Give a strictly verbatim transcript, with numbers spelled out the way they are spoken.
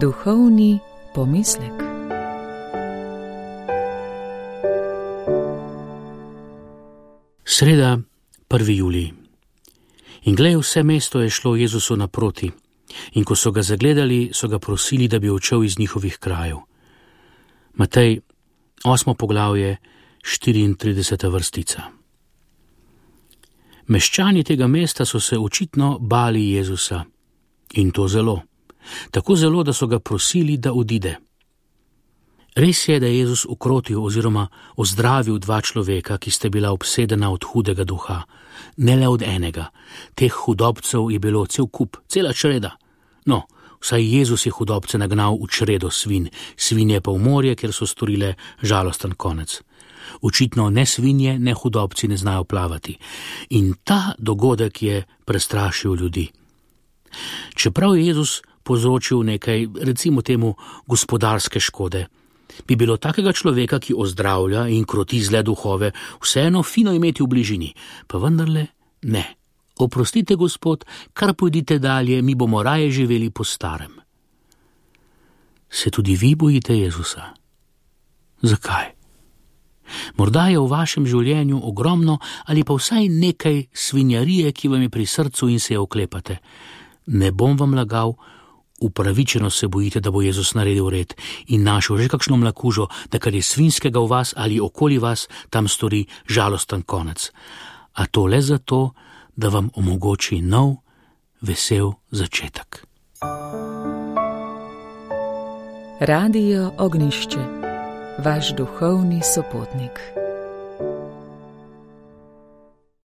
Duhovni pomislek. Sreda, prvi julij. In glej, vse mesto je šlo Jezusu naproti, in ko so ga zagledali, so ga prosili, da bi odšel iz njihovih krajev. Matej, osmo poglavje, štiriintrideseta vrstica. Meščani tega mesta so se očitno bali Jezusa, in to zelo. Tako zelo, da so ga prosili, da odide. Res je, da je Jezus ukrotil oziroma ozdravil dva človeka, ki sta bila obsedena od hudega duha. Ne le od enega. Teh hudobcev je bilo cel kup, cela čreda. No, vsaj Jezus je hudobce nagnal v čredo svinj, svinje pa v morje, kjer so storile žalosten konec. Očitno ne svinje, ne hudobci ne znajo plavati. In ta dogodek je prestrašil ljudi. Čeprav je Jezus povzročil nekaj, recimo temu, gospodarske škode, bi bilo takega človeka, ki ozdravlja in kroti zle duhove, vseeno fino imeti v bližini, pa vendarle ne. Oprostite, Gospod, kar pojdite dalje, mi bomo raje živeli po starem. Se tudi vi bojite Jezusa? Zakaj? Morda je v vašem življenju ogromno ali pa vsaj nekaj svinjarije, ki vam je pri srcu in se je oklepate. Ne bom vam lagal, upravičeno se bojite, da bo Jezus naredil red in našel že kakšno mlakužo, da kar je svinjskega v vas ali okoli vas, tam stori žalosten konec. A to le zato, da vam omogoči nov, vesel začetek. Radio Ognjišče, vaš duhovni sopotnik.